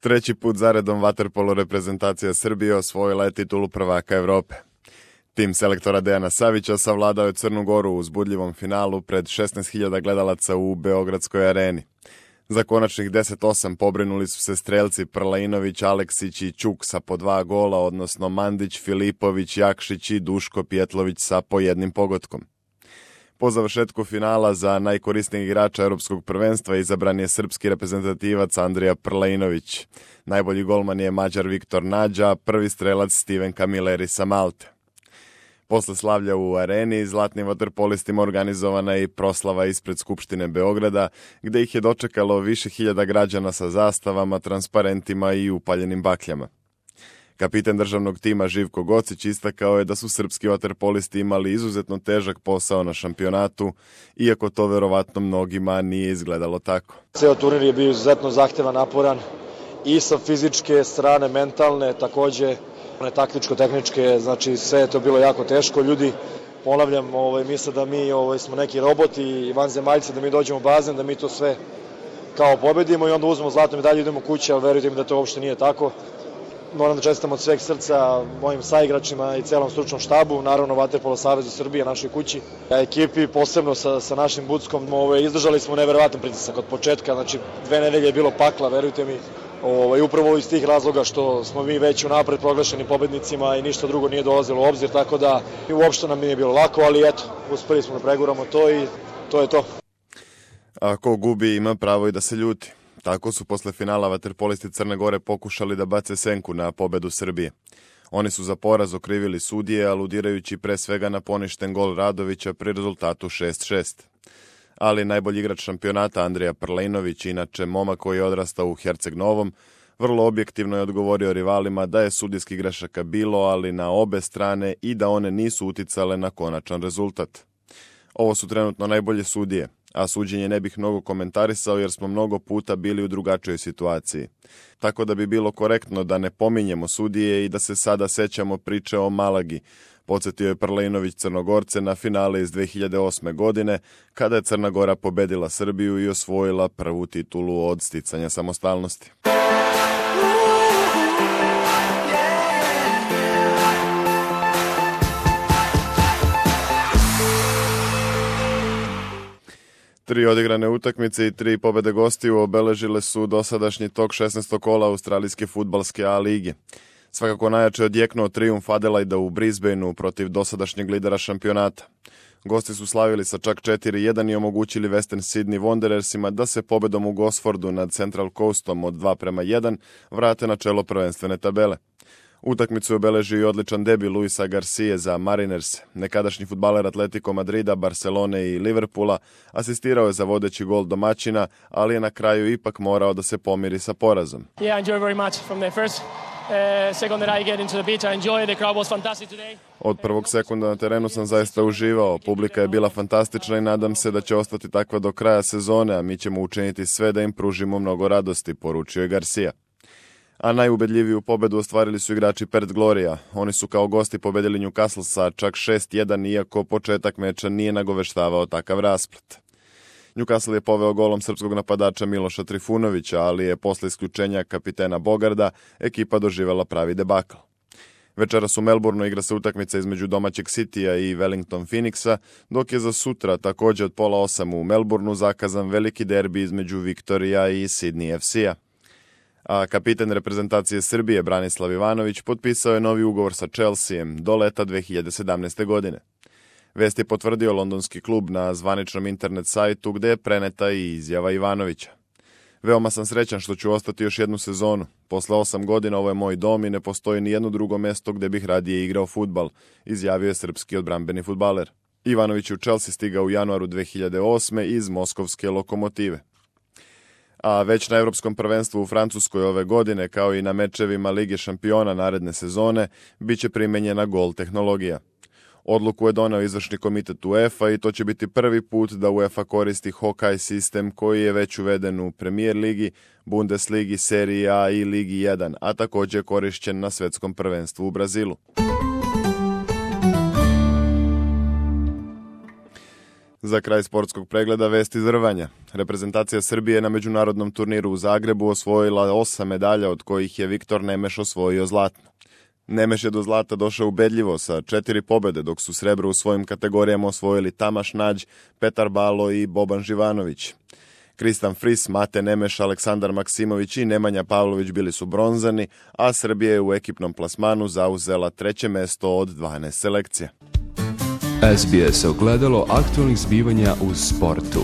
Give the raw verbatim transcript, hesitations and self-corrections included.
Treći put zaredom vaterpolo reprezentacija Srbije osvojila je titulu prvaka Evrope. Tim selektora Dejana Savića savladao je Crnu Goru u uzbudljivom finalu pred šesnaest hiljada gledalaca u Beogradskoj areni. Za konačnih deset osam pobrinuli su se strelci Prlainović, Aleksić i Ćuk sa po dva gola, odnosno Mandić, Filipović, Jakšić i Duško Pjetlović sa po jednim pogotkom. Po završetku finala za najkorisnijeg igrača Europskog prvenstva izabran je srpski reprezentativac Andrija Prlainović. Najbolji golman je Mađar Viktor Nađa, prvi strelac Steven Camilleri sa Malte. Posle slavlja u areni, zlatnim vaterpolistima organizovana je i proslava ispred Skupštine Beograda, gde ih je dočekalo više hiljada građana sa zastavama, transparentima i upaljenim bakljama. Kapitan državnog tima Živko Gocić istakao je da su srpski vaterpolisti imali izuzetno težak posao na šampionatu, iako to verovatno mnogima nije izgledalo tako. Ceo turnir je bio izuzetno zahtevan, naporan i sa fizičke strane, mentalne, takođe one taktičko-tehničke, znači sve je to bilo jako teško. Ljudi, ponavljam, ovaj, misle da mi ovaj, smo neki roboti i vanzemaljci, da mi dođemo u bazen, da mi to sve kao pobedimo i onda uzmemo zlatnu medalju i idemo kući, ali verujte mi da to uopšte nije tako. Moram da čestitam od sveg srca mojim saigračima i celom stručnom štabu, naravno Vaterpolo savezu Srbije, našoj kući. A ekipi, posebno sa, sa našim Buckom, ovaj, izdržali smo neverovatan pritisak od početka, znači dve nedelje je bilo pakla, verujte mi. Ovaj, upravo iz tih razloga što smo mi već unapred proglašeni pobednicima i ništa drugo nije dolazilo u obzir, tako da uopšte nam nije bilo lako, ali eto, uspeli smo da preguramo to i to je to. A ko gubi ima pravo i da se ljuti. Tako su posle finala vaterpolisti Crne Gore pokušali da bace senku na pobedu Srbije. Oni su za poraz okrivili sudije, aludirajući pre svega na poništen gol Radovića pri rezultatu šest šest. Ali najbolji igrač šampionata Andrija Prlainović, inače momak koji je odrastao u Herceg Novom, vrlo objektivno je odgovorio rivalima da je sudijskih grešaka bilo, ali na obe strane i da one nisu uticale na konačan rezultat. Ovo su trenutno najbolje sudije, a suđenje ne bih mnogo komentarisao jer smo mnogo puta bili u drugačijoj situaciji. Tako da bi bilo korektno da ne pominjemo sudije i da se sada sećamo priče o Malagi, podsjetio je Prlainović Crnogorce na finale iz dve hiljade osme. godine, kada je Crna Gora pobedila Srbiju i osvojila prvu titulu od sticanja samostalnosti. Tri odigrane utakmice i tri pobede gostiju obeležile su dosadašnji tok šesnaestog kola australijske fudbalske A lige. Svakako najjače odjeknuo trijumf Adelaida u Brisbaneu protiv dosadašnjeg lidera šampionata. Gosti su slavili sa čak četiri jedan i omogućili Western Sydney Wanderersima da se pobedom u Gosfordu nad Central Coastom od dva prema jedan vrate na čelo prvenstvene tabele. Utakmicu je obeležio i odličan debi Luisa Garcije za Mariners. Nekadašnji fudbaler Atletico Madrida, Barcelone i Liverpoola asistirao je za vodeći gol domaćina, ali je na kraju ipak morao da se pomiri sa porazom. Yeah, I enjoy very much from the first uh, second that I get into the pitch. I enjoy the crowd was fantastic today. Od prvog sekunda na terenu sam zaista uživao. Publika je bila fantastična i nadam se da će ostati takva do kraja sezone, a mi ćemo učiniti sve da im pružimo mnogo radosti, poručio je Garcia. A najubedljiviju pobedu ostvarili su igrači Perth Gloria. Oni su kao gosti pobedili Newcastle sa čak šest jedan, iako početak meča nije nagoveštavao takav rasplet. Newcastle je poveo golom srpskog napadača Miloša Trifunovića, ali je posle isključenja kapitena Bogarda ekipa doživela pravi debakl. Večeras u Melbourneu igra se utakmica između domaćeg Citya i Wellington Phoenixa, dok je za sutra takođe od pola osam u Melbourneu zakazan veliki derbi između Viktorija i Sydney F C-a. A kapitan reprezentacije Srbije Branislav Ivanović potpisao je novi ugovor sa Chelseaem do leta dve hiljade sedamnaeste. godine. Vest je potvrdio londonski klub na zvaničnom internet sajtu gde je preneta i izjava Ivanovića. Veoma sam srećan što ću ostati još jednu sezonu. Posle osam godina ovo je moj dom i ne postoji ni jedno drugo mesto gde bih radije igrao fudbal, izjavio je srpski odbrambeni fudbaler. Ivanović je u Chelsea stigao u januaru dve hiljade osme. iz moskovske Lokomotive. A već na Evropskom prvenstvu u Francuskoj ove godine, kao i na mečevima Lige šampiona naredne sezone, bit će primenjena gol tehnologija. Odluku je doneo izvršni komitet UEFA i to će biti prvi put da UEFA koristi Hawkeye sistem koji je već uveden u Premier ligi, Bundesligi, Seriji A i Ligi jedan, a takođe je korišćen na svetskom prvenstvu u Brazilu. Za kraj sportskog pregleda vesti iz rvanja. Reprezentacija Srbije na međunarodnom turniru u Zagrebu osvojila osam medalja, od kojih je Viktor Nemeš osvojio zlatno. Nemeš je do zlata došao ubedljivo sa četiri pobede, dok su srebro u svojim kategorijama osvojili Tamaš Nađ, Petar Balo i Boban Živanović. Kristan Fris, Mate Nemeš, Aleksandar Maksimović i Nemanja Pavlović bili su bronzani, a Srbija je u ekipnom plasmanu zauzela treće mesto od dvanaest selekcija. S B S ogledalo aktualnih zbivanja u sportu.